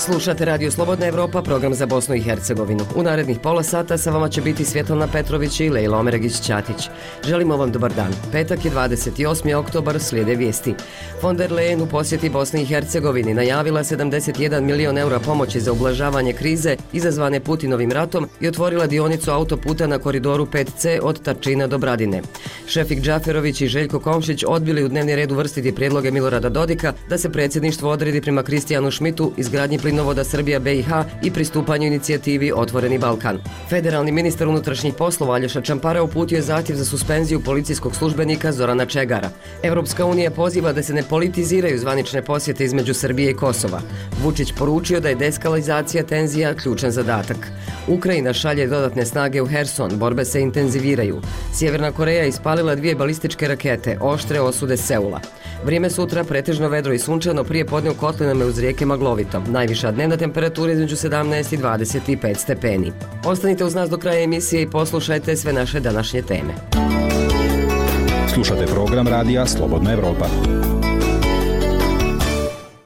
Slušate Radio Slobodna Evropa, program za Bosnu i Hercegovinu. U narednih pola sata sa vama će biti Svjetlana Petrović i Lejla Omeregić-Ćatić. Želimo vam dobar dan. Petak je 28. oktobar, slijede vijesti. Von der Leyen u posjeti Bosni i Hercegovini najavila 71 milion eura pomoći za ublažavanje krize izazvane Putinovim ratom i otvorila dionicu autoputa na koridoru 5C od Tačina do Bradine. Šefik Džaferović i Željko Komšić odbili u dnevni red uvrstiti prijedloge Milorada Dodika da se predsjedništvo odredi prema Kristijanu Šmitu, izgradnji plinovoda Srbija BiH i pristupanju inicijativi Otvoreni Balkan. Federalni ministar unutrašnjih poslova Aljoša Čampara uputio je zahtjev za suspenziju policijskog službenika Zorana Čegara. Europska unija poziva da se ne politiziraju zvanične posjete između Srbije i Kosova. Vučić poručio da je deskalizacija tenzija ključan zadatak. Ukrajina šalje dodatne snage u Herson, borbe se intenziviraju. Sjeverna Koreja ispalila 2 balističke rakete, oštre osude Seula. Vrijeme sutra pretežno vedro i sunčano, prije podne u kotlinama uz rijeke maglovito. Najviša dnevna temperatura između 17 i 25 stepeni. Ostanite uz nas do kraja emisije i poslušajte sve naše današnje teme. Slušate program radija Slobodna Evropa.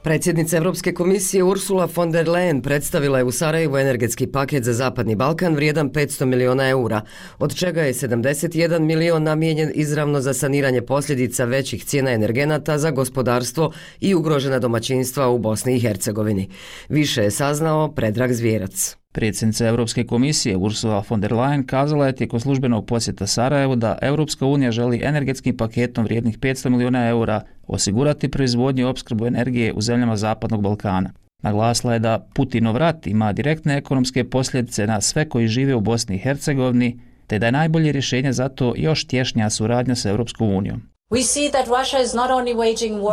Predsjednica Europske komisije Ursula von der Leyen predstavila je u Sarajevu energetski paket za Zapadni Balkan vrijedan 500 miliona eura, od čega je 71 milion namijenjen izravno za saniranje posljedica većih cijena energenata za gospodarstvo i ugrožena domaćinstva u Bosni i Hercegovini. Više je saznao Predrag Zvjerac. Predsjednica Europske komisije Ursula von der Leyen kazala je tijekom službenog posjeta Sarajevu da Europska unija želi energetskim paketom vrijednih 500 miliona eura osigurati proizvodnju i opskrbu energije u zemljama Zapadnog Balkana. Naglasila je da Putinov rat ima direktne ekonomske posljedice na sve koji žive u Bosni i Hercegovini, te da je najbolje rješenje za to još tješnja suradnja sa Europskom unijom.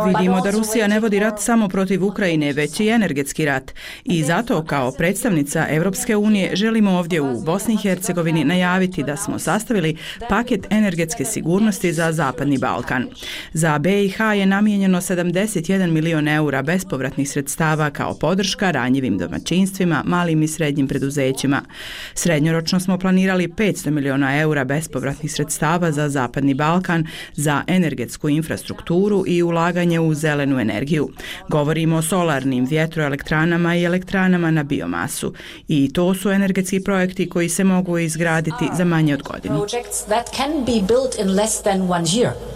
Vidimo da Rusija ne vodi rat samo protiv Ukrajine, već i energetski rat. I zato kao predstavnica Europske unije želimo ovdje u Bosni i Hercegovini najaviti da smo sastavili paket energetske sigurnosti za Zapadni Balkan. Za BiH je namijenjeno 71 milion eura bespovratnih sredstava kao podrška ranjivim domaćinstvima, malim i srednjim preduzećima. Srednjoročno smo planirali 500 miliona eura bespovratnih sredstava za Zapadni Balkan, za energetsku infrastrukturu i ulaganje u zelenu energiju. Govorimo o solarnim vjetroelektranama i elektranama na biomasu. I to su energetski projekti koji se mogu izgraditi za manje od godinu.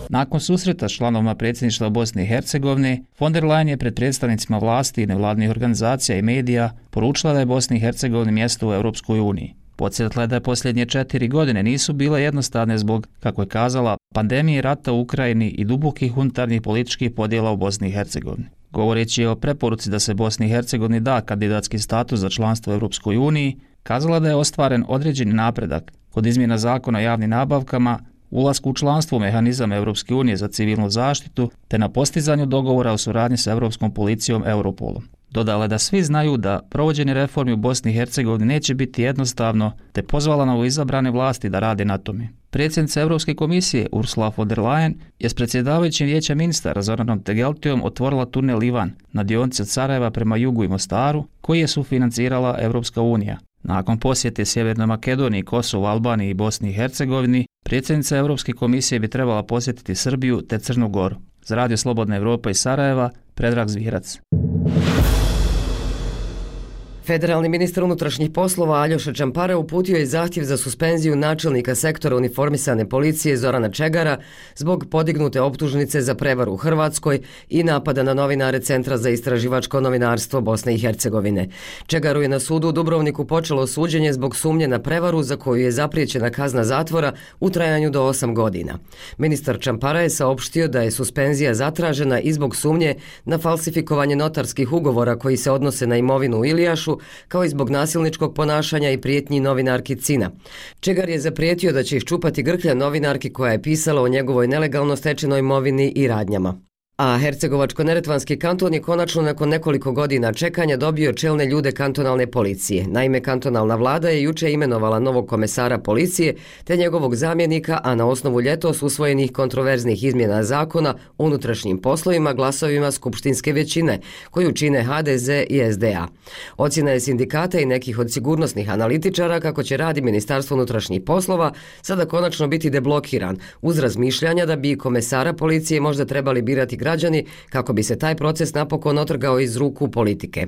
Nakon susreta s članovima predsjedništva Bosne i Hercegovine, von der Leyen je pred predstavnicima vlasti, nevladnih organizacija i medija poručila da je Bosni i Hercegovini mjesto u Europskoj uniji. Podsjetila je da posljednje 4 godine nisu bile jednostavne zbog, kako je kazala, pandemije, rata u Ukrajini i dubokih unutarnjih političkih podjela u Bosni i Hercegovini. Govoreći o preporuci da se Bosni i Hercegovini da kandidatski status za članstvo u Europskoj uniji, kazala da je ostvaren određeni napredak kod izmjena zakona o javnim nabavkama, ulasku u članstvo u mehanizam Europske unije za civilnu zaštitu, te na postizanju dogovora o suradnji sa Europskom policijom Europolom. Dodala je da svi znaju da provođenje reformi u Bosni i Hercegovini neće biti jednostavno, te pozvala novoizabrane vlasti da rade na tome. Predsjednica Europske komisije Ursula von der Leyen je s predsjedavajućim vijećem ministara Zoranom Tegeltijom otvorila tunel Ivan na dionici od Sarajeva prema jugu i Mostaru, koji je sufinancirala Europska unija. Nakon posjete Sjevernoj Makedoniji, Kosovu, Albaniji i Bosni i Hercegovini, predsjednica Europske komisije bi trebala posjetiti Srbiju te Crnu Goru. Za Radio Slobodna Evropa iz Sarajeva, Predrag Zvjerac. Federalni ministar unutrašnjih poslova Aljoša Čampara uputio je zahtjev za suspenziju načelnika sektora uniformisane policije Zorana Čegara zbog podignute optužnice za prevaru u Hrvatskoj i napada na novinare Centra za istraživačko novinarstvo Bosne i Hercegovine. Čegaru je na sudu u Dubrovniku počelo suđenje zbog sumnje na prevaru za koju je zapriječena kazna zatvora u trajanju do 8 godina. Ministar Čampara je saopštio da je suspenzija zatražena i zbog sumnje na falsifikovanje notarskih ugovora koji se odnose na imovinu u Ilijašu, kao i zbog nasilničkog ponašanja i prijetnji novinarki Cina. Čegar je zaprijetio da će iščupati grklja novinarki koja je pisala o njegovoj nelegalno stečenoj imovini i radnjama. A Hercegovačko-neretvanski kanton je konačno nakon nekoliko godina čekanja dobio čelne ljude kantonalne policije. Naime, kantonalna vlada je juče imenovala novog komesara policije te njegovog zamjenika, a na osnovu ljetos usvojenih kontroverznih izmjena zakona o unutrašnjim poslovima glasovima skupštinske većine, koju čine HDZ i SDA. Ocjena je sindikata i nekih od sigurnosnih analitičara kako će rad Ministarstva unutrašnjih poslova sada konačno biti deblokiran, uz razmišljanja da bi komesara policije možda trebali birati građani građani kako bi se taj proces napokon otrgao iz ruku politike.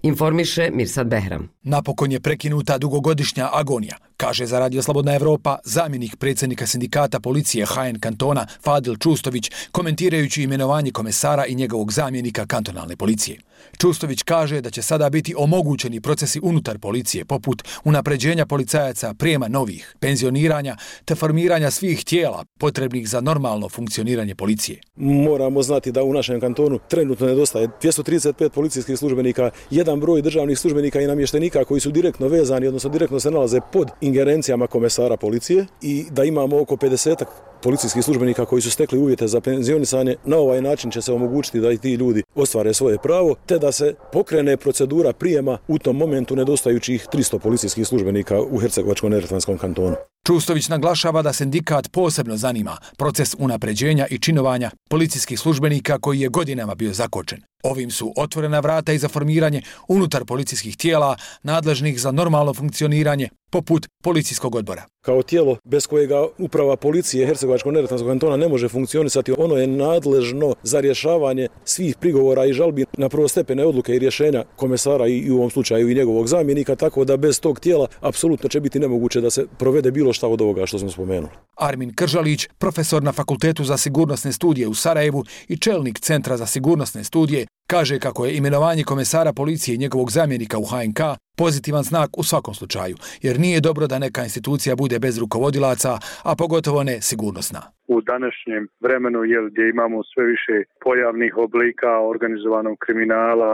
Informiše Mirsad Behram. Napokon je prekinuta dugogodišnja agonija, kaže za Radio Slobodna Evropa zamjenik predsjednika sindikata policije HN kantona Fadil Čustović, komentirajući imenovanje komesara i njegovog zamjenika kantonalne policije. Čustović kaže da će sada biti omogućeni procesi unutar policije poput unapređenja policajaca, prijema novih, penzioniranja te formiranja svih tijela potrebnih za normalno funkcioniranje policije. Moramo znati da u našem kantonu trenutno nedostaje 235 policijskih službenika, jedan broj državnih službenika i namještenika koji su direktno vezani, odnosno direktno se nalaze pod ingerencijama komesara policije i da imamo oko 50 policijskih službenika koji su stekli uvjete za penzionisanje. Na ovaj način će se omogućiti da i ti ljudi ostvare svoje pravo, te da se pokrene procedura prijema u tom momentu nedostajućih 300 policijskih službenika u Hercegovačko-neretvanskom kantonu. Čustović naglašava da sindikat posebno zanima proces unapređenja i činovanja policijskih službenika koji je godinama bio zakočen. Ovim su otvorena vrata i za formiranje unutar policijskih tijela nadležnih za normalno funkcioniranje, poput policijskog odbora. Kao tijelo bez kojega uprava policije Hercegovačko-neretvanskog kantona ne može funkcionisati, ono je nadležno za rješavanje svih prigovora i žalbi na prvostepene odluke i rješenja komesara i u ovom slučaju i njegovog zamjenika, tako da bez tog tijela apsolutno će biti nemoguće da se provede bilo šta od ovoga što smo spomenuli. Armin Kržalić, profesor na Fakultetu za sigurnosne studije u Sarajevu i čelnik Centra za sigurnosne studije, kaže kako je imenovanje komesara policije i njegovog zamjenika u HNK pozitivan znak u svakom slučaju, jer nije dobro da neka institucija bude bez rukovodilaca, a pogotovo ne sigurnosna. U današnjem vremenu gdje imamo sve više pojavnih oblika organizovanog kriminala,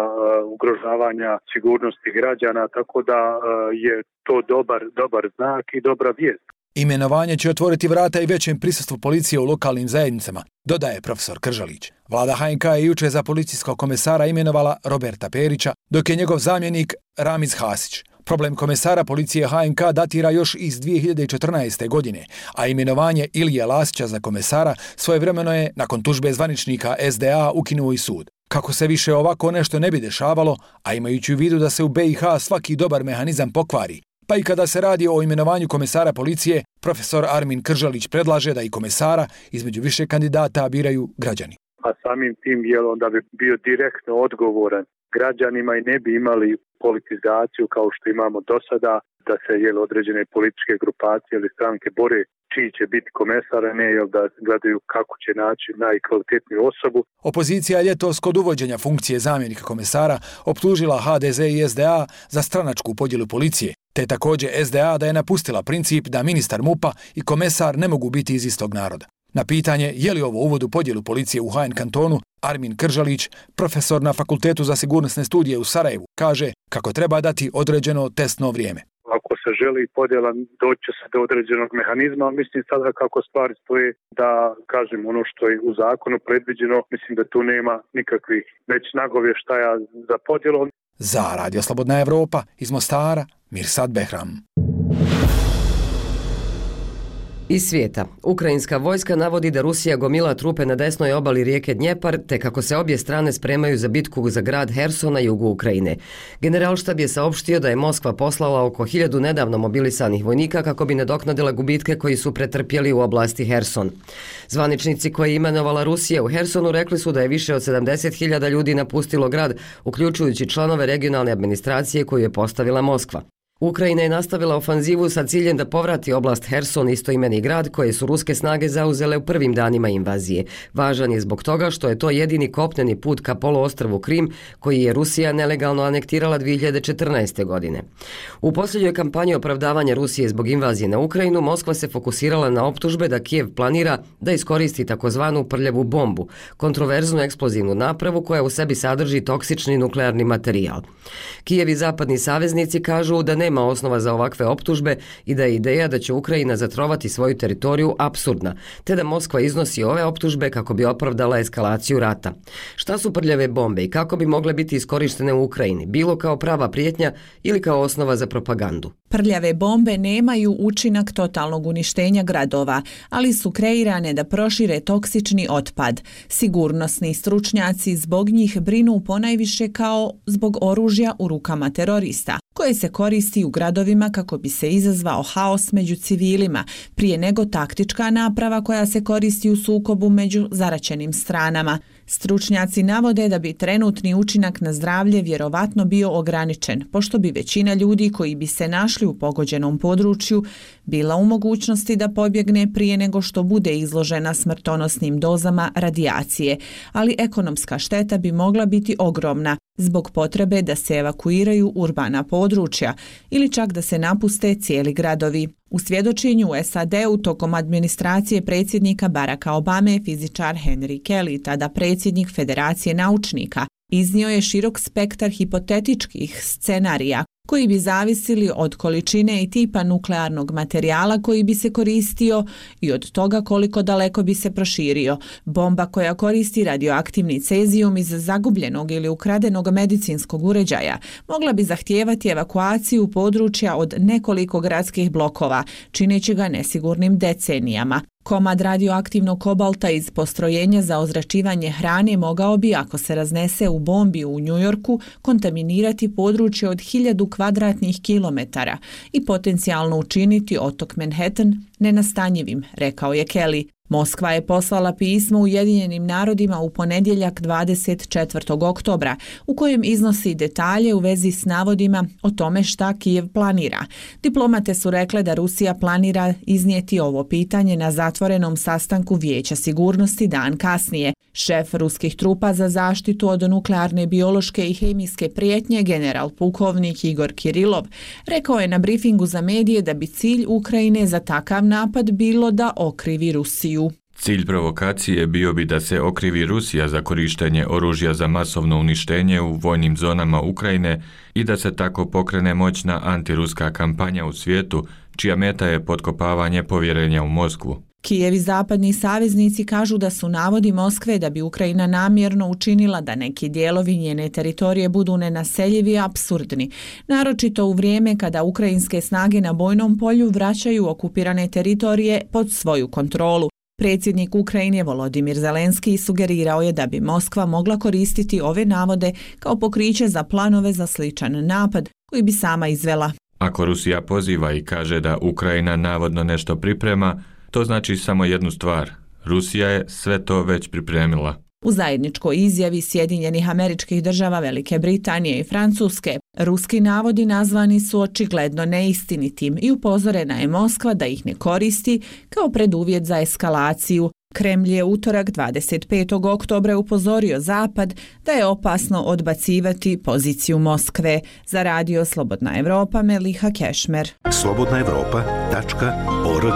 ugrožavanja sigurnosti građana, tako da je to dobar znak i dobra vijest. Imenovanje će otvoriti vrata i većem prisustvu policije u lokalnim zajednicama, dodaje profesor Kržalić. Vlada HNK je jučer za policijskog komesara imenovala Roberta Perića, dok je njegov zamjenik Ramiz Hasić. Problem komesara policije HNK datira još iz 2014. godine, a imenovanje Ilije Lasića za komesara svojevremeno je, nakon tužbe zvaničnika SDA, ukinuo i sud. Kako se više ovako nešto ne bi dešavalo, a imajući u vidu da se u BiH svaki dobar mehanizam pokvari, pa i kada se radi o imenovanju komesara policije, profesor Armin Kržalić predlaže da i komesara između više kandidata biraju građani. A samim tim onda bi bio direktno odgovoran građanima i ne bi imali politizaciju kao što imamo do sada, da se određene političke grupacije ili stranke bore čiji će biti komesar, a ne da gledaju kako će naći najkvalitetniju osobu. Opozicija je ljetos kod uvođenja funkcije zamjenika komesara optužila HDZ i SDA za stranačku podjelu policije, te također SDA da je napustila princip da ministar MUP-a i komesar ne mogu biti iz istog naroda. Na pitanje je li ovo uvod u podjelu policije u HN kantonu, Armin Kržalić, profesor na Fakultetu za sigurnosne studije u Sarajevu, kaže kako treba dati određeno testno vrijeme. Ako se želi podjela, doći se do određenog mehanizma, mislim sada kako stvari stoje da kažem ono što je u zakonu predviđeno, mislim da tu nema nikakvih već nagovještaja za podjelu. Za Radio Slobodna Evropa iz Mostara, Mirsad Behram. Iz svijeta. Ukrajinska vojska navodi da Rusija gomila trupe na desnoj obali rijeke Dnjepar, te kako se obje strane spremaju za bitku za grad Herson na jugu Ukrajine. Generalštab je saopštio da je Moskva poslala oko 1000 nedavno mobilisanih vojnika kako bi nadoknadila gubitke koji su pretrpjeli u oblasti Herson. Zvaničnici koje je imenovala Rusija u Hersonu rekli su da je više od 70.000 ljudi napustilo grad, uključujući članove regionalne administracije koju je postavila Moskva. Ukrajina je nastavila ofanzivu sa ciljem da povrati oblast Herson, istoimeni grad koje su ruske snage zauzele u prvim danima invazije. Važan je zbog toga što je to jedini kopneni put ka poluostrvu Krim koji je Rusija nelegalno anektirala 2014. godine. U posljednjoj kampanji opravdavanja Rusije zbog invazije na Ukrajinu, Moskva se fokusirala na optužbe da Kijev planira da iskoristi takozvanu prljavu bombu, kontroverznu eksplozivnu napravu koja u sebi sadrži toksični nuklearni materijal. Kijev i zapadni saveznici kažu da nema osnova za ovakve optužbe i da je ideja da će Ukrajina zatrovati svoju teritoriju apsurdna, te da Moskva iznosi ove optužbe kako bi opravdala eskalaciju rata. Šta su prljave bombe i kako bi mogle biti iskorištene u Ukrajini, bilo kao prava prijetnja ili kao osnova za propagandu? Prljave bombe nemaju učinak totalnog uništenja gradova, ali su kreirane da prošire toksični otpad. Sigurnosni stručnjaci zbog njih brinu ponajviše kao zbog oružja u rukama terorista. koje se koristi u gradovima kako bi se izazvao haos među civilima, prije nego taktička naprava koja se koristi u sukobu među zaraćenim stranama. Stručnjaci navode da bi trenutni učinak na zdravlje vjerovatno bio ograničen, pošto bi većina ljudi koji bi se našli u pogođenom području bila u mogućnosti da pobjegne prije nego što bude izložena smrtonosnim dozama radijacije, ali ekonomska šteta bi mogla biti ogromna zbog potrebe da se evakuiraju urbana područja ili čak da se napuste cijeli gradovi. U svjedočenju u SAD-u tokom administracije predsjednika Baracka Obame fizičar Henry Kelly, tada predsjednik Federacije naučnika, iznio je širok spektar hipotetičkih scenarija koji bi zavisili od količine i tipa nuklearnog materijala koji bi se koristio i od toga koliko daleko bi se proširio. Bomba koja koristi radioaktivni cezijum iz zagubljenog ili ukradenog medicinskog uređaja mogla bi zahtijevati evakuaciju područja od nekoliko gradskih blokova, čineći ga nesigurnim decenijama. Komad radioaktivnog kobalta iz postrojenja za ozračivanje hrane mogao bi, ako se raznese u bombi u Njujorku, kontaminirati područje od 1000 kvadratnih kilometara i potencijalno učiniti otok Manhattan nenastanjivim, rekao je Kelly. Moskva je poslala pismo Ujedinjenim narodima u ponedjeljak 24. oktobra u kojem iznosi detalje u vezi s navodima o tome šta Kijev planira. Diplomate su rekle da Rusija planira iznijeti ovo pitanje na zatvorenom sastanku Vijeća sigurnosti dan kasnije. Šef ruskih trupa za zaštitu od nuklearne, biološke i hemijske prijetnje, general pukovnik Igor Kirilov, rekao je na brifingu za medije da bi cilj Ukrajine za takav napad bilo da okrivi Rusiju. Cilj provokacije bio bi da se okrivi Rusija za korištenje oružja za masovno uništenje u vojnim zonama Ukrajine i da se tako pokrene moćna antiruska kampanja u svijetu, čija meta je potkopavanje povjerenja u Moskvu. Kijev i zapadni saveznici kažu da su navodi Moskve da bi Ukrajina namjerno učinila da neki dijelovi njene teritorije budu nenaseljivi apsurdni, naročito u vrijeme kada ukrajinske snage na bojnom polju vraćaju okupirane teritorije pod svoju kontrolu. Predsjednik Ukrajine Volodimir Zelenski sugerirao je da bi Moskva mogla koristiti ove navode kao pokriće za planove za sličan napad koji bi sama izvela. Ako Rusija poziva i kaže da Ukrajina navodno nešto priprema, to znači samo jednu stvar. Rusija je sve to već pripremila. U zajedničkoj izjavi Sjedinjenih Američkih Država, Velike Britanije i Francuske, ruski navodi nazvani su očigledno neistinitim i upozorena je Moskva da ih ne koristi kao preduvjet za eskalaciju. Kremlj je utorak 25. oktobra upozorio Zapad da je opasno odbacivati poziciju Moskve. Za radio Slobodna Evropa, Meliha Kešmer. slobodnaevropa.org.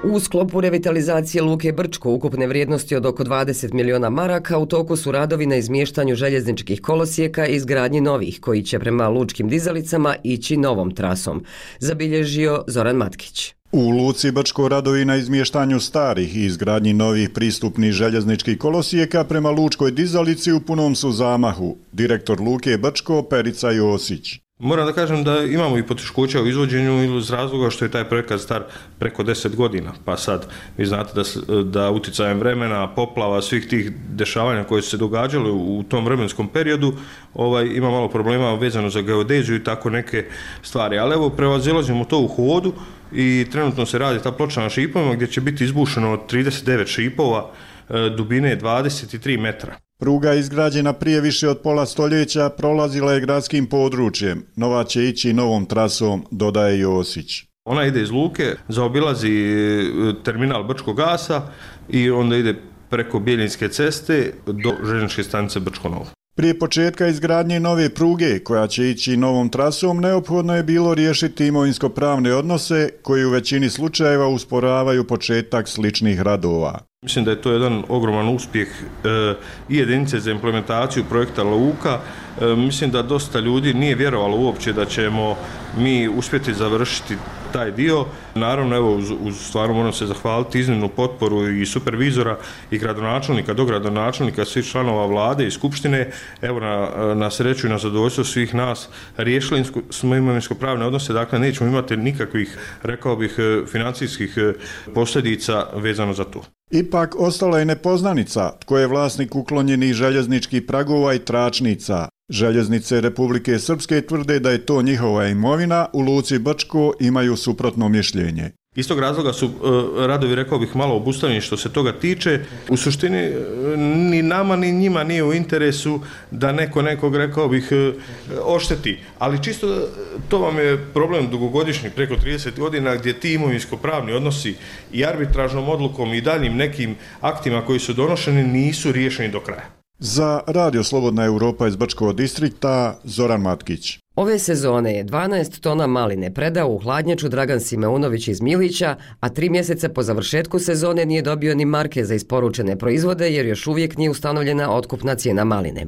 U sklopu revitalizacije Luke Brčko ukupne vrijednosti od oko 20 miliona maraka u toku su radovi na izmještanju željezničkih kolosijeka i izgradnji novih koji će prema lučkim dizalicama ići novom trasom, zabilježio Zoran Matkić. U Luci Brčko radovi na izmještanju starih i izgradnji novih pristupnih željezničkih kolosijeka prema lučkoj dizalici u punom su zamahu. Direktor Luke Brčko Perica Josić. Moram da kažem da imamo i poteškoća u izvođenju ili iz razloga što je taj projekat star preko 10 godina. Pa sad, vi znate da uticajem vremena, poplava, svih tih dešavanja koje su se događale u tom vremenskom periodu, ima malo problema vezano za geodeziju i tako neke stvari. Ali evo, prevazilazimo to u hodu i trenutno se radi ta ploča na šipovima gdje će biti izbušeno od 39 šipova dubine 23 metra. Pruga izgrađena prije više od pola stoljeća prolazila je gradskim područjem. Nova će ići novom trasom, dodaje Josić. Ona ide iz Luke, zaobilazi terminal Brčkog gasa i onda ide preko Bjeljinske ceste do željezničke stanice Brčko Novo. Prije početka izgradnje nove pruge, koja će ići novom trasom, neophodno je bilo riješiti imovinsko-pravne odnose koji u većini slučajeva usporavaju početak sličnih radova. Mislim da je to jedan ogroman uspjeh i jedinice za implementaciju projekta Luka. Mislim da dosta ljudi nije vjerovalo uopće da ćemo mi uspjeti završiti taj dio. Naravno, evo, stvarno moram se zahvaliti iznimnu potporu i supervizora i gradonačelnika, dogradonačelnika, svih članova vlade i skupštine. Evo, na sreću i na zadovoljstvo svih nas riješili smo imovinsko-pravne odnose, dakle nećemo imati nikakvih, rekao bih, financijskih posljedica vezano za to. Ipak ostala je nepoznanica tko je vlasnik uklonjenih željezničkih pragova i tračnica. Željeznice Republike Srpske tvrde da je to njihova imovina, u luci Brčko imaju suprotno mišljenje. Iz tog razloga su radovi, rekao bih, malo obustavljeni što se toga tiče. U suštini ni nama ni njima nije u interesu da nekog, rekao bih, ošteti. Ali čisto to vam je problem dugogodišnji, preko 30 godina, gdje ti imovinsko-pravni odnosi i arbitražnom odlukom i daljim nekim aktima koji su donošeni nisu riješeni do kraja. Za Radio Slobodna Europa iz Brčkog distrikta, Zoran Matkić. Ove sezone je 12 tona maline predao u hladnjaču Dragan Simeunović iz Milića, a 3 mjeseca po završetku sezone nije dobio ni marke za isporučene proizvode jer još uvijek nije ustanovljena otkupna cijena maline.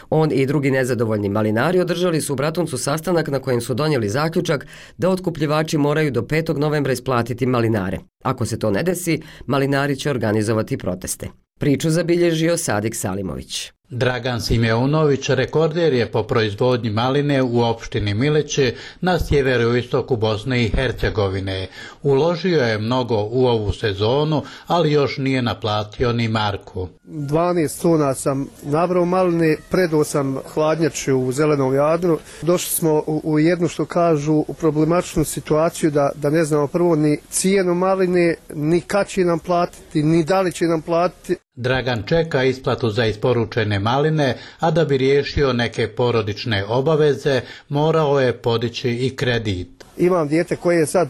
On i drugi nezadovoljni malinari održali su u Bratuncu sastanak na kojem su donijeli zaključak da otkupljivači moraju do 5. novembra isplatiti malinare. Ako se to ne desi, malinari će organizovati proteste. Priču zabilježio Sadik Salimović. Dragan Simeunović rekorder je po proizvodnji maline u opštini Milići na sjeveroistoku Bosne i Hercegovine. Uložio je mnogo u ovu sezonu, ali još nije naplatio ni marku. 12 tona sam nabrao maline, predao sam hladnjaču u Zelenom Jadru. Došli smo u jednu, što kažu, problematičnu situaciju da ne znamo prvo ni cijenu maline, ni kad će nam platiti, ni da li će nam platiti. Dragan čeka isplatu za isporučene maline, a da bi riješio neke porodične obaveze, morao je podići i kredit. Imam dijete koje sad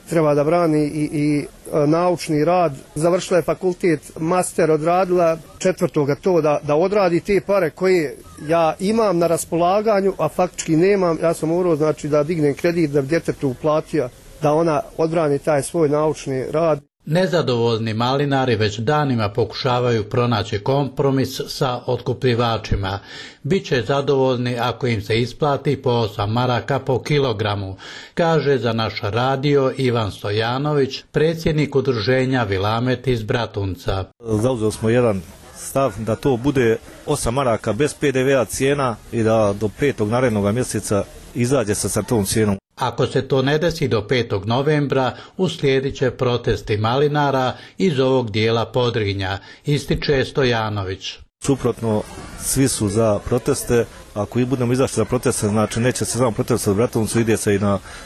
treba da brani i naučni rad. Završila je fakultet, master odradila, 4. to da odradi te pare koje ja imam na raspolaganju, a faktički nemam. Ja sam morao, znači, da dignem kredit da bi djetetu uplatio, da ona odbrani taj svoj naučni rad. Nezadovoljni malinari već danima pokušavaju pronaći kompromis sa otkupljivačima. Biće zadovoljni ako im se isplati po 8 maraka po kilogramu, kaže za naš radio Ivan Stojanović, predsjednik udruženja Vilamet iz Bratunca. Zauzeli smo jedan stav da to bude 8 maraka bez PDV-a cijena i da do 5. narednog mjeseca izađe sa tom cijenom. Ako se to ne desi do 5. novembra, uslijedit će protesti malinara iz ovog dijela Podrinja, ističe Stojanović. Suprotno, svi su za proteste. Ako i budemo izašli za proteste, znači neće se samo protest u Bratuncu, ide se i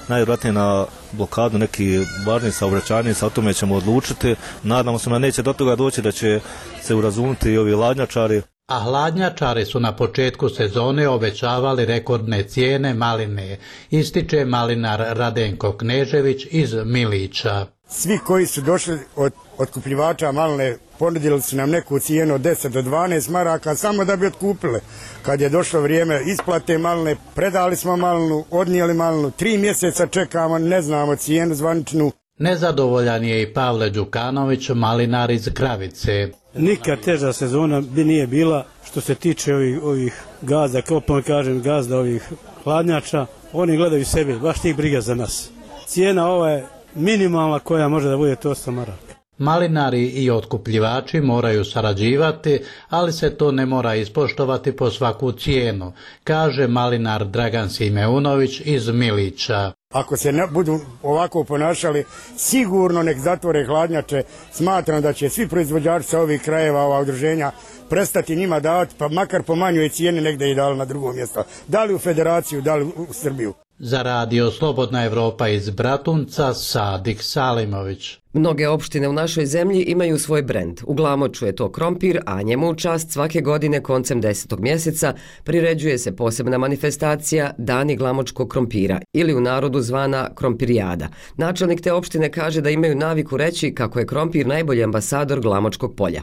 najvjerojatnije na blokadu neki važni saobraćajnica, o tome ćemo odlučiti. Nadamo se da neće do toga doći, da će se urazumiti i ovi hladnjačari. A hladnjačari su na početku sezone obećavali rekordne cijene maline, ističe malinar Radenko Knežević iz Milića. Svi koji su došli od otkupljivača maline ponudili su nam neku cijenu od 10 do 12 maraka samo da bi otkupili. Kad je došlo vrijeme isplate maline, predali smo malinu, odnijeli malinu, 3 mjeseca čekamo, ne znamo cijenu zvaničnu. Nezadovoljan je i Pavle Đukanović, malinar iz Kravice. Nikad teža sezona bi nije bila što se tiče ovih gazda, kao kažem gazda ovih hladnjača. Oni gledaju sebe, baš njih briga za nas. Cijena ova je minimalna koja može da bude to 8 maraka. Malinari i otkupljivači moraju sarađivati, ali se to ne mora ispoštovati po svaku cijenu, kaže malinar Dragan Simeunović iz Milića. Ako se ne budu ovako ponašali, sigurno nek zatvore hladnjače. Smatram da će svi proizvođači sa ovih krajeva, ova udruženja, prestati njima davati, pa makar po manjoj cijeni negdje i dali na drugo mjesto. Da li u Federaciju, da li u Srbiju. Za radio Slobodna Europa iz Bratunca, Sadik Salimović. Mnoge opštine u našoj zemlji imaju svoj brend. U Glamoču je to krompir, a njemu u čast svake godine koncem 10. mjeseca priređuje se posebna manifestacija Dani glamočkog krompira ili u narodu zvana Krompirijada. Načelnik te opštine kaže da imaju naviku reći kako je krompir najbolji ambasador Glamočkog polja.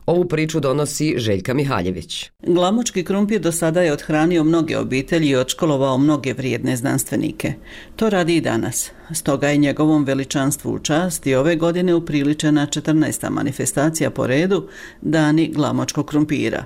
Ovu priču donosi Željka Mihaljević. Glamočki krompir do sada je othranio mnoge obitelji i odškolovao mnoge vrijedne znanstvenike. To radi i danas. Stoga je njegovom veličanstvu u čast i ove godine upriličena 14. manifestacija po redu Dani glamočkog krompira.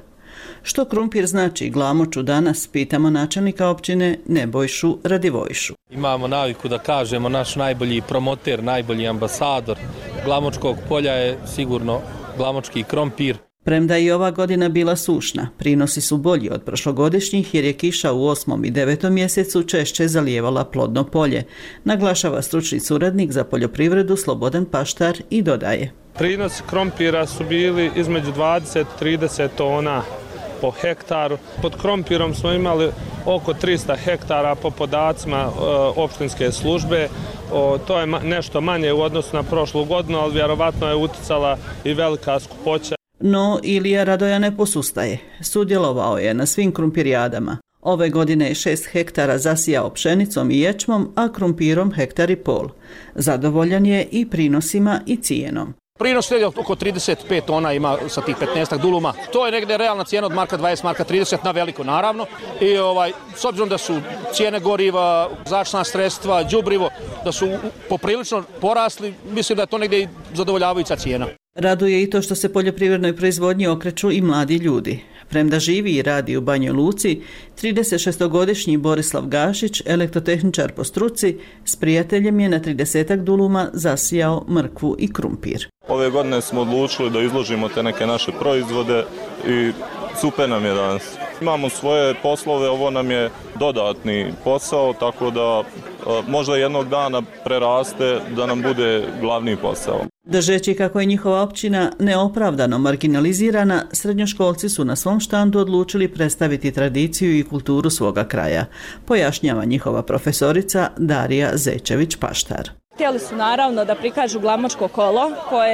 Što krompir znači Glamoču danas, pitamo načelnika općine Nebojšu Radivojšu. Imamo naviku da kažemo naš najbolji promoter, najbolji ambasador Glamočkog polja je sigurno glamočki krompir. Premda i ova godina bila sušna, prinosi su bolji od prošlogodišnjih jer je kiša u 8. i 9. mjesecu češće zalijevala plodno polje, naglašava stručni suradnik za poljoprivredu Slobodan Paštar i dodaje. Prinosi krompira su bili između 20-30 tona po hektaru. Pod krompirom smo imali oko 300 hektara po podacima opštinske službe. To je nešto manje u odnosu na prošlu godinu, ali vjerovatno je uticala i velika skupoća. No, Ilija Radoja ne posustaje. Sudjelovao je na svim krumpirijadama. Ove godine je 6 hektara zasijao pšenicom i ječmom, a krumpirom 1,5 hektara. Zadovoljan je i prinosima i cijenom. Prinos je oko 35 tona ima sa tih 15 duluma. To je negdje realna cijena od marka 20, marka 30 na veliko naravno. I s obzirom da su cijene goriva, zaštitna sredstva, đubrivo, da su poprilično porasli, mislim da je to negdje i zadovoljavajuća cijena. Raduje i to što se poljoprivrednoj proizvodnji okreću i mladi ljudi. Premda živi i radi u Banjoj Luci, 36-godišnji Borislav Gašić, elektrotehničar po struci, s prijateljem je na 30 duluma zasijao mrkvu i krumpir. Ove godine smo odlučili da izložimo te neke naše proizvode i super nam je danas. Imamo svoje poslove, ovo nam je dodatni posao, tako da možda jednog dana preraste da nam bude glavni posao. Držeći kako je njihova općina neopravdano marginalizirana, srednjoškolci su na svom štandu odlučili predstaviti tradiciju i kulturu svoga kraja, pojašnjava njihova profesorica Darija Zečević-Paštar. Htjeli su naravno da prikažu glamočko kolo,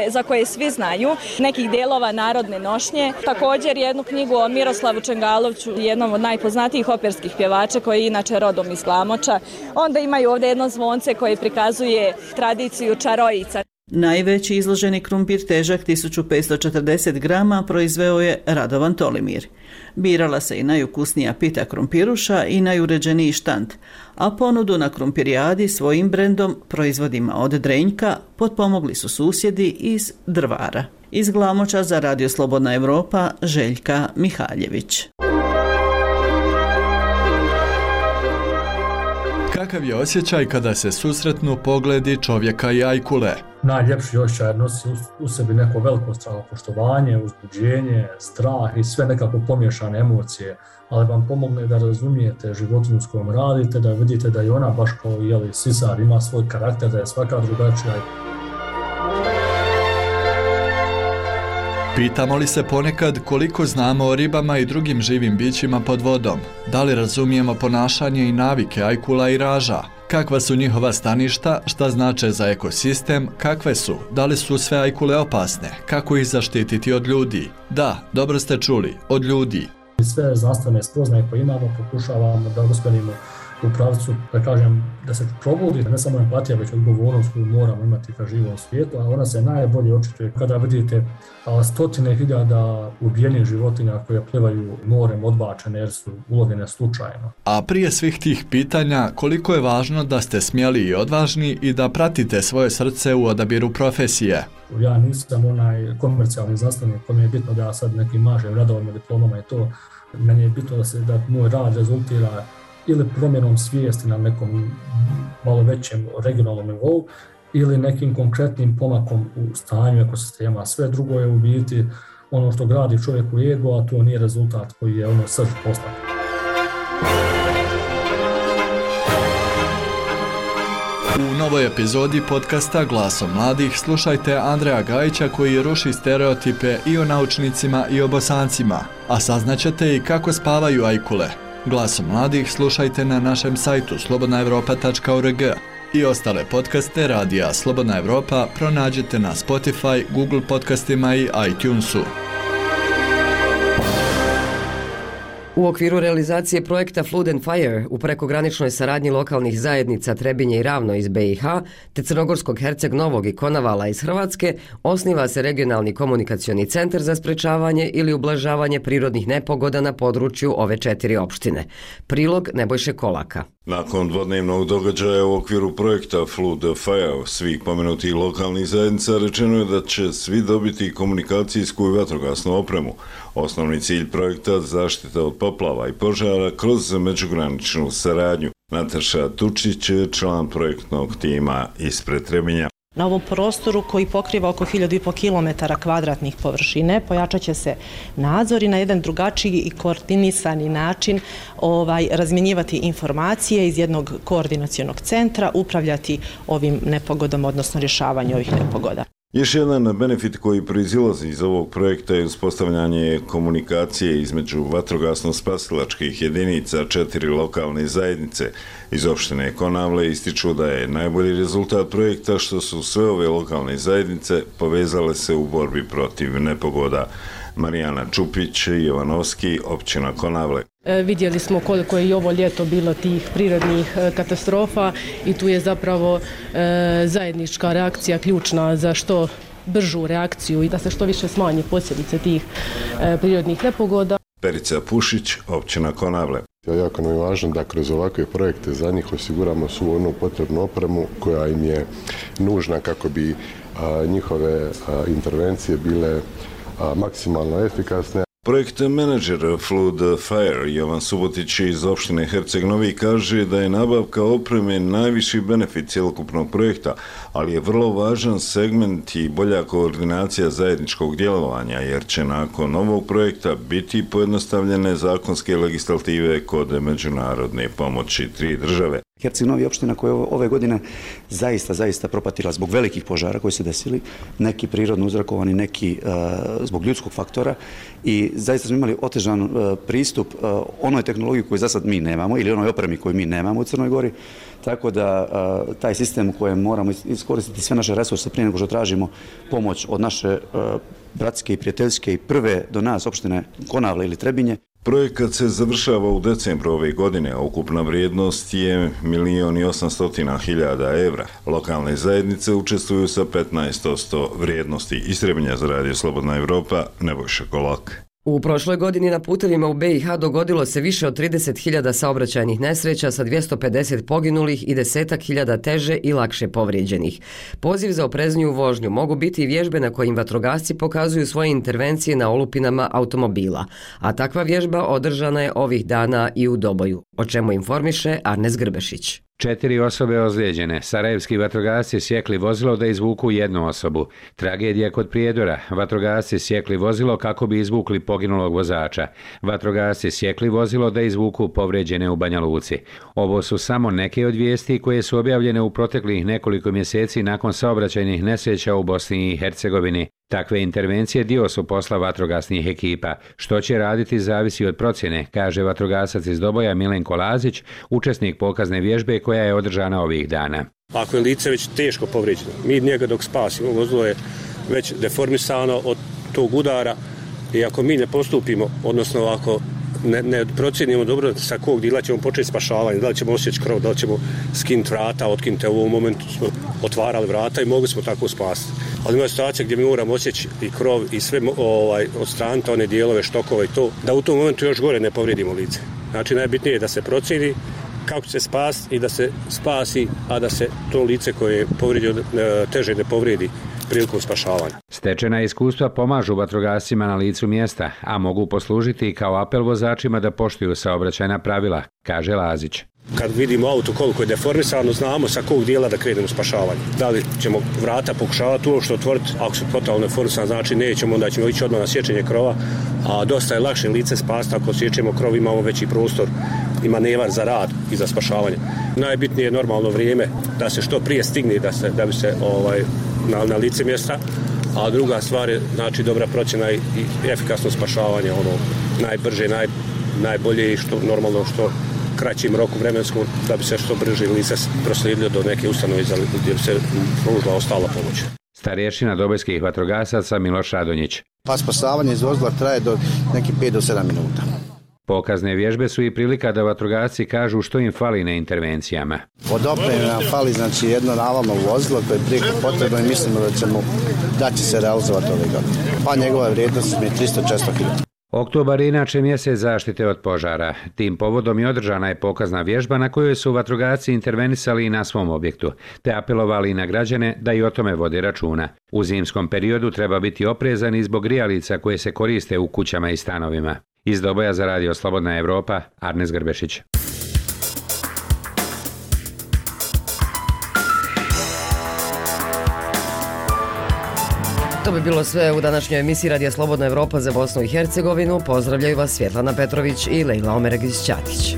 za koje svi znaju, nekih dijelova narodne nošnje. Također jednu knjigu o Miroslavu Čengalovću, jednom od najpoznatijih operskih pjevača koji je inače rodom iz Glamoča. Onda imaju ovdje jedno zvonce koje prikazuje tradiciju čarojica. Najveći izloženi krumpir težak 1540 grama proizveo je Radovan Tolimir. Birala se i najukusnija pita krumpiruša i najuređeniji štand, a ponudu na krumpirijadi svojim brendom, proizvodima od Drenjka, potpomogli su susjedi iz Drvara. Iz Glamoča za Radio Slobodna Evropa, Željka Mihaljević. Kakav je osjećaj kada se susretnu pogledi čovjeka i ajkule? Najljepši osjećaj nosi u sebi neko veliko samopoštovanje, uzbuđenje, strah i sve nekako pomiješane emocije, ali vam pomogne da razumijete životinju s kojom radite, da vidite da je ona baš kao sisar, ima svoj karakter, da je svaka drugačija. Pitamo li se ponekad koliko znamo o ribama i drugim živim bićima pod vodom? Da li razumijemo ponašanje i navike ajkula i raža? Kakva su njihova staništa, šta znače za ekosistem, kakve su, da li su sve ajkule opasne, kako ih zaštititi od ljudi? Da, dobro ste čuli, od ljudi. Sve znanstvene spoznaje koje imamo pokušavamo da uspjelimo u pravcu, da kažem, da se probudi ne samo empatija, već odgovornost koju moramo imati ka živom svijetu, a ona se najbolje očituje kada vidite stotine hiljada ubijenih životinja koje plivaju morem odbačene jer su ulovljene slučajno. A prije svih tih pitanja, koliko je važno da ste smjeli i odvažni i da pratite svoje srce u odabiru profesije? Ja nisam onaj komercijalni znanstvenik, kome je bitno da ja sad nekim mažem radovima, diplomama i to. Meni je bitno da moj rad rezultira ili promjenom svijesti na nekom malo većem regionalnom nivou ili nekim konkretnim pomakom u stanju ekosistema. Sve drugo je u biti ono što gradi čovjeku ego, a to nije rezultat koji je srž posla. U novoj epizodi podcasta Glasom mladih slušajte Andreja Gajića koji ruši stereotipe i o naučnicima i o Bosancima, a saznaćete i kako spavaju ajkule. Glasom mladih slušajte na našem sajtu slobodnaevropa.org i ostale podcaste Radija Slobodna Evropa pronađite na Spotify, Google podcastima i iTunesu. U okviru realizacije projekta Flood and Fire u prekograničnoj saradnji lokalnih zajednica Trebinje i Ravno iz BiH te Crnogorskog Herceg Novog i Konavala iz Hrvatske osniva se regionalni komunikacioni centar za sprečavanje ili ublažavanje prirodnih nepogoda na području ove 4 opštine. Prilog Nebojše Kolaka. Nakon dvodnevnog događaja u okviru projekta Flood and Fire svih pomenutih lokalnih zajednica rečeno je da će svi dobiti komunikacijsku i vatrogasnu opremu. Osnovni cilj projekta zaštita od poplava i požara kroz međugraničnu saradnju. Nataša Tučić je član projektnog tima ispred Trebinja. Na ovom prostoru koji pokriva oko 1500 km2 površine pojačat će se nadzor i na jedan drugačiji i koordinisani način razmjenjivati informacije iz jednog koordinacionog centra, upravljati ovim nepogodama, odnosno rješavanju ovih nepogoda. Još jedan benefit koji proizilazi iz ovog projekta je uspostavljanje komunikacije između vatrogasno-spasilačkih jedinica 4 lokalne zajednice. Iz opštine Konavle ističu da je najbolji rezultat projekta što su sve ove lokalne zajednice povezale se u borbi protiv nepogoda. Marijana Čupić, Jovanovski, općina Konavle. Vidjeli smo koliko je i ovo ljeto bilo tih prirodnih katastrofa i tu je zapravo zajednička reakcija ključna za što bržu reakciju i da se što više smanji posljedice tih prirodnih nepogoda. Perica Pušić, općina Konavle. Jako nam je važno da kroz ovakve projekte za njih osiguramo svu onu potrebnu opremu koja im je nužna kako bi njihove intervencije bile maksimalno efikasne. Projekt menadžer Flood Fire Jovan Subotić iz opštine Herceg Novi kaže da je nabavka opreme najviši benefit cjelokupnog projekta, ali je vrlo važan segment i bolja koordinacija zajedničkog djelovanja, jer će nakon ovog projekta biti pojednostavljene zakonske legislative kod međunarodne pomoći 3 države. Herceg Novi je opština koja je ove godine zaista propatila zbog velikih požara koji se desili, neki prirodno uzrokovani, neki zbog ljudskog faktora i zaista smo imali otežan pristup onoj tehnologiji koju za sad mi nemamo ili onoj opremi koju mi nemamo u Crnoj Gori, tako da taj sistem u kojem moramo iskoristiti sve naše resurse prije nego što tražimo pomoć od naše bratske i prijateljske i prve do nas opštine Konavle ili Trebinje. Projekat se završava u decembru ove godine, a ukupna vrijednost je 1.800.000 evra. Lokalne zajednice učestvuju sa 15% vrijednosti. Iz Trebinja za Radio Slobodna Evropa, Nebojša Kolak. U prošloj godini na putevima u BiH dogodilo se više od 30.000 saobraćajnih nesreća sa 250 poginulih i 10.000 teže i lakše povrijeđenih. Poziv za oprezniju vožnju mogu biti i vježbe na kojim vatrogasci pokazuju svoje intervencije na olupinama automobila, a takva vježba održana je ovih dana i u Doboju, o čemu informiše Arnes Grbešić. 4 osobe ozlijeđene. Sarajevski vatrogasci sjekli vozilo da izvuku jednu osobu. Tragedija kod Prijedora. Vatrogasci sjekli vozilo kako bi izvukli poginulog vozača. Vatrogasci sjekli vozilo da izvuku povrijeđene u Banja Luci. Ovo su samo neke od vijesti koje su objavljene u proteklih nekoliko mjeseci nakon saobraćajnih nesreća u Bosni i Hercegovini. Takve intervencije dio su posla vatrogasnih ekipa. Što će raditi zavisi od procjene, kaže vatrogasac iz Doboja Milenko Lazić, učesnik pokazne vježbe koja je održana ovih dana. Ako je lice već teško povrijeđeno, mi njega dok spasimo, vozilo je već deformisano od tog udara i ako mi ne postupimo, odnosno ako ne procjenimo dobro sa kog dijela ćemo početi spašavanje, da li ćemo osjeći krov, da li ćemo skinuti vrata, otkinuti. U ovom momentu smo otvarali vrata i mogli smo tako spasiti. Ali ima situacija gdje mi moramo osjeći i krov i sve odstraniti one dijelove, štokove i to, da u tom momentu još gore ne povrijedimo lice. Znači najbitnije je da se procijeni kako će se spasiti i da se spasi, a da se to lice koje je povrijeđeno teže ne povrijedi prilikom spašavanja. Stečena iskustva pomažu vatrogascima na licu mjesta, a mogu poslužiti i kao apel vozačima da poštuju saobraćajna pravila, kaže Lazić. Kad vidimo auto koliko je deformisano, znamo sa kog dijela da krenemo spašavanje. Da li ćemo vrata pokušavati uopšte otvoriti, ako su totalno deformisano, znači nećemo, onda ćemo ići odmah na sječenje krova, a dosta je lakše lice spasiti ako sječemo krov, imamo veći prostor i manevar za rad i za spašavanje. Najbitnije je normalno vrijeme da se što prije stigne da bi se na lice mjesta, a druga stvar je znači dobra procjena i efikasno spašavanje, najbrže, najbolje i što normalno što kraćim roku vremenskom da bi se što brže lice proslijedilo do neke ustanove gdje bi se pružila ostala pomoć. Starješina dobojskih vatrogasaca Miloš Radonjić. Pa spasavanje iz vozila traje do nekih 5 do 7 minuta. Pokazne vježbe su i prilika da vatrogasci kažu što im fali na intervencijama. Od opreme nam fali znači jedno navalno vozilo koje je prijeko potrebno i mislimo da će se realizovati ove godine. Pa njegova vrijednost je 300-400 kg. Oktobar je inače mjesec zaštite od požara. Tim povodom i održana je pokazna vježba na kojoj su vatrogasci intervenisali i na svom objektu, te apelovali i na građane da i o tome vode računa. U zimskom periodu treba biti oprezan i zbog grijalica koje se koriste u kućama i stanovima. Iz Doboja za Radio Slobodna Evropa, Arnes Grbešić. To bi bilo sve u današnjoj emisiji Radija Slobodna Evropa za Bosnu i Hercegovinu. Pozdravljaju vas Svjetlana Petrović i Lejla Omeregić-Ćatić.